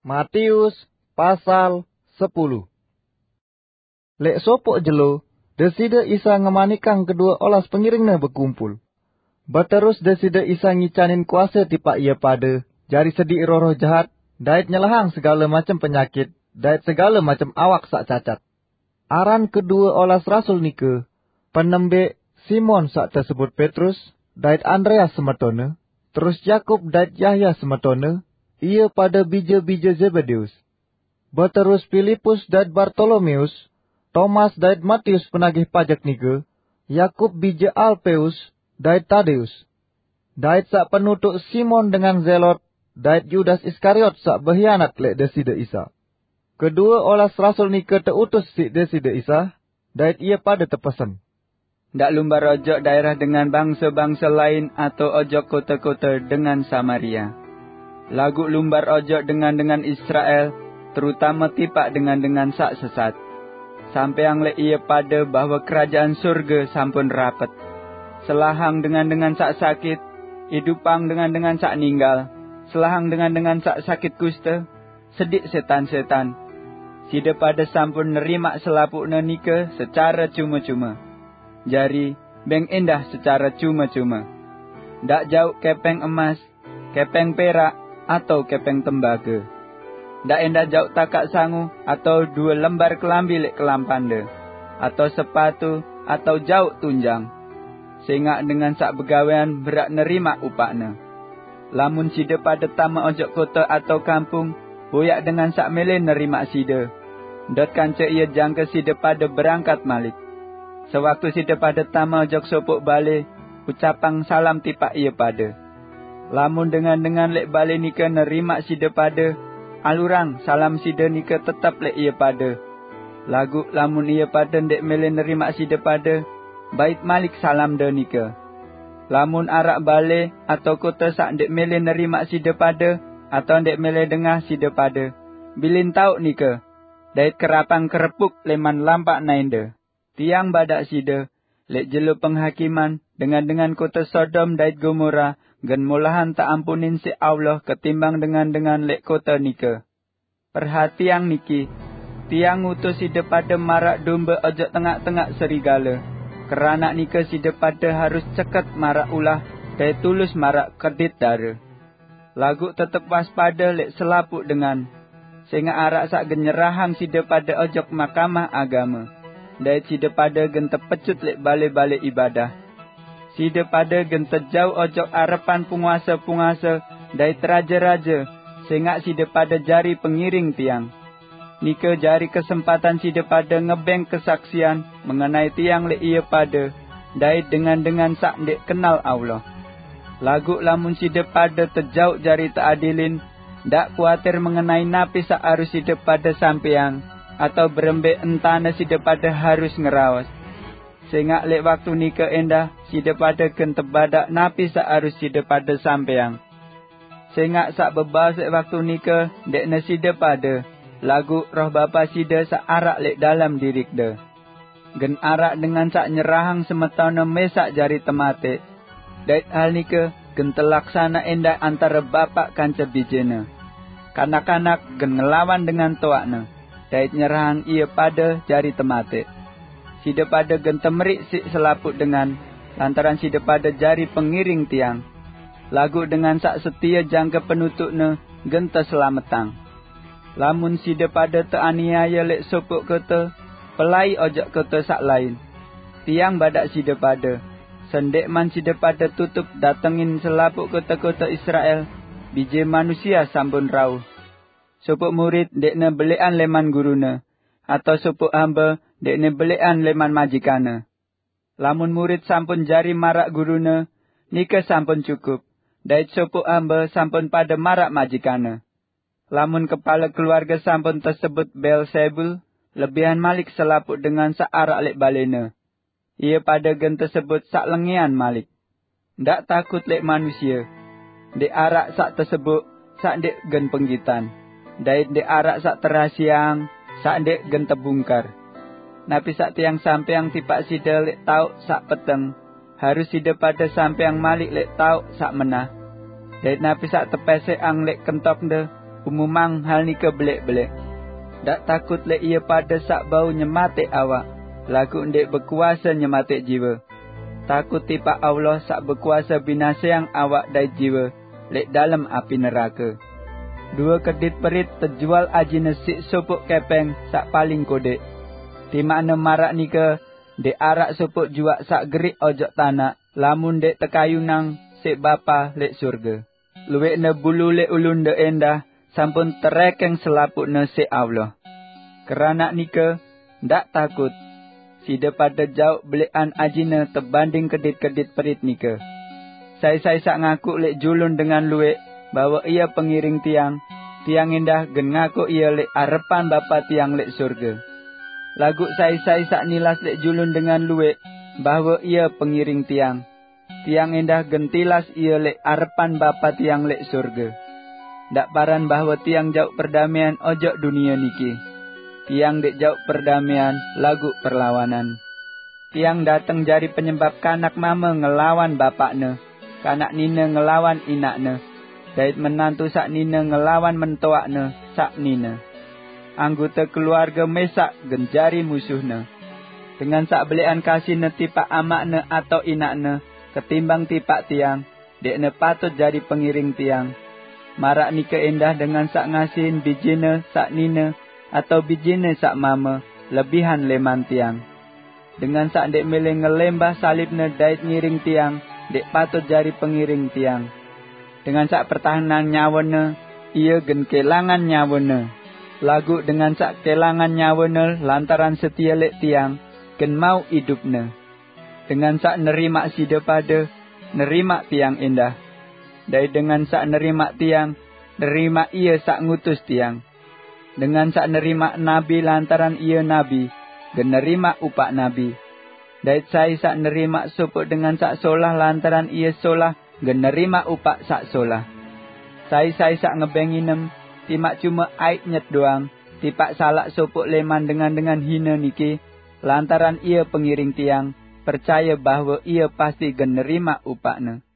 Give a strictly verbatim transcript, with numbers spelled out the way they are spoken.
Matius pasal sepuluh. Lek sopok jelo, Deside Isa ngemanikang kedue olas pengiringne bekumpul. Beterus Deside Isa ngicanin kuase tipaq ie pade jari sediq roh-roh jahat, dait nyelahang segale macem penyakit dait segale macem awak saq cacat. Aran kedue olas rasul nike, penembeq Simon saq tesebut Petrus, dait Andreas semetone, terus Yakub dait Yahya semetone, ie pade bije-bije Zebedeus. Beterus Pilipus dait Bartolomeus, Tomas dait Matius penagih pajek nike, Yakub bije Alpeus dait Tadeus, dait saq penutuq Simon dengan Zelot, dait Yudas Iskariot saq behianat leq Deside Isa. Kedue olas rasul nike teutus siq Deside Isa, dait ie pade tepesen, "Ndaq lumbar ojok daerah dengan bangse-bangse lain atau ojok kote-kote dengan Samaria. Laguq lumbar ojok dengan-dengan Israel, terutame tipaq dengan-dengan saq sesat. Sampeang leq ie pade bahwe kerajaan surge sampun rapet. Selahang dengan-dengan saq sakit, idupang dengan-dengan saq ninggal, selahang dengan-dengan saq sakit kuste, sediq setan-setan. Side pade sampun nerimaq selapuqne nike secare cume-cume. Jari, beng endah secare cume-cume. Ndaq jauq kepeng emas, kepeng perak, atau kepeng tembage. Ndaq endah jauq takaq sangu atau due lembar kelambi leq kelampande, atau sepatu, atau jauq tunjang. Sengaq dengan saq begawean beraq nerimaq upaqne. Lamun side pade tame ojok kote atau kampung, boyaq dengan saq mele nerimaq side, ndot kance ie jangke side pade berangkat malik. Sewaktu side pade tame ojok sopoq bale, ucapang salam tipaq ie pade. Lamun dengan-dengan leq bale nike nerimaq side pade, alurang salam side nike tetep leq ie pade. Laguq lamun ie pade ndeq mele nerimaq side pade, bait malik salamde nike. Lamun araq bale atau kote saq ndeq mele nerimaq side pade, atau ndeq mele dengah side pade, bilin taoq nike, dait kerapang kerepuk leman lampaq naende. Tiang badaq side, leq jelo penghakiman, dengan-dengan kote Sodom dait Gomora gen molahan teampunin siq Allah ketimbang dengan-dengan leq kote nike. Perhatiang niki, tiang ngutus side pade maraq dombe ojok tengaq-tengaq serigale. Keranaq nike side pade harus ceket maraq ulah dait tulus maraq kedit dare. Laguq tetep waspade leq selapuq dengan, sengaq araq saq gen nyerahang side pade ojok mahkamah agame, dait side pade gen tepecut leq bale-bale ibadah. Side pade gen tejauq ojok arepan penguase-penguase dait raje-raje, sengaq side pade jari pengiring tiang. Nike jari kesempatan side pade ngebeng kesaksian mengenai tiang leq ie pade, dait dengan-dengan saq ndeq kenal Allah. Laguq lamun side pade tejauq jari teadilin, ndaq kuatir mengenai napi saq harus side pade sampeang, atau berembe entane side pade harus ngeraos. Sengaq leq waktu nike endah side pade gen tebadaq napi saq harus side pade sampeang. Sengaq saq bebaos leq waktu nike ndeqne side pade, laguq Roh Bapa side saq araq leq dalem dirikde. Gen araq dengan saq nyerahang semetone mesaq jari temateq, dait hal nike gen telaksane endah antare bapaq kance bijene. Kanak-kanak gen ngelawan dengan toaqne, dait nyerahang ie pade jari temateq. Side pade gen temeriq siq selapuq dengan, lantaran side pade jari pengiring tiang. Laguq dengan saq setie jangke penutuqne gen teselametang. Lamun side pade teaniaye leq sopoq kote, pelai ojok kote saq lain. Tiang badaq side pade, sendikman side pade tutup datengin selapuq kote-kote Israel, Bije Manusie sampun rauh. Sopoq murid ndeqne beleqan leman gurune, atau sopoq hambe ndeqne beleqan leman majikanne. Lamun murid sampun jari maraq gurune, nike sampun cukup, dait sopoq hambe sampun pade maraq majikanne. Lamun kepale keluarge sampun tesebut Beelzebul, lebihan malik selapuq dengan saq araq leq balene. Ie pade gen tesebut saq lengean malik. Ndaq takut leq manusie. Ndeq araq saq tesebuk saq ndeq gen penggitan, dait ndeq araq saq terahasieang saq ndeq gen tebungkar. Napi saq tiang sampeang tipaq side leq taoq saq peteng, harus side pade sampeang malik leq taoq saq menah. Dait napi saq tepeseqang leq kentokde, Umumang hal nika belek-belek. Ndak takut lek ia pada sak bau nyematek awak, laguq ndek bekuasa nyematek jiwa. Takut tipaq Allah sak bekuasa binaseang awak dait jiwa lek dalem api neraka. Dua kedit perit tejual ajine sik sopok kepeng sak paling kodek. Timakne maraq nika, ndek araq sopok juak sak gerik ojok tanak, lamun ndek tekayunang sik Bapa lek surga. Luwekne bulu lek ulun ndek endah, sampun terekeng selapukne sik Allah. Keranaq nika, ndak takut. Side pada jauq belekan ajine tebanding kedit-kedit perit nika. Sai-sai sak ngaku lek julun dengan luwek bahwe ia pengiring tiang, tiang endah gen ngaku ia lek arepan Bapa tiang lek surga. Laguq sai-sai sak nilas lek julun dengan luwek bahwe ia pengiring tiang, tiang endah gen tilas ia lek arepan Bapa tiang lek surga. Ndak paran bahwe tiang jauq perdamean ojok dunia niki. Tiang ndek jauq perdamean, laguq perlawanan. Tiang dateng jari penyebab kanak mame ngelawan bapakne, kanak nine ngelawan inakne, dait menantu sak nine ngelawan mentoakne sak nine. Anggota keluarga mesaq gen jari musuhne. Dengan sak belekan kasihne tipaq amakne atau inakne ketimbang tipaq tiang, ndekne patut jari pengiring tiang. Maraq nike endah dengan sak ngasihin bijine sak nine atau bijine sak mame lebihan leman tiang. Dengan sak ndek mele ngelembah salibne dait ngiring tiang, ndek patut jari pengiring tiang. Dengan sak pertahanang nyawene, ia gen kelangan nyawene. Laguq dengan sak kelangan nyawene lantaran setie lek tiang, gen mauq idupne. Dengan sak nerimaq side pade, nerimaq tiang endah. Dait dengan sak nerimaq tiang, nerimaq ie sak ngutus tiang. Dengan sak nerimaq nabi lantaran ie nabi, gen nerimaq upaq nabi. Dait sai sak nerimaq sopok dengan sak solah lantaran ie solah, gen nerimaq upaq sak solah. Sai-sai sak ngebeng inem, timaq cume aiq nyet doang, tipaq salaq sopok leman dengan-dengan hine niki, lantaran ie pengiring tiang, percaye bahwe ie pasti gen nerimaq upaqne.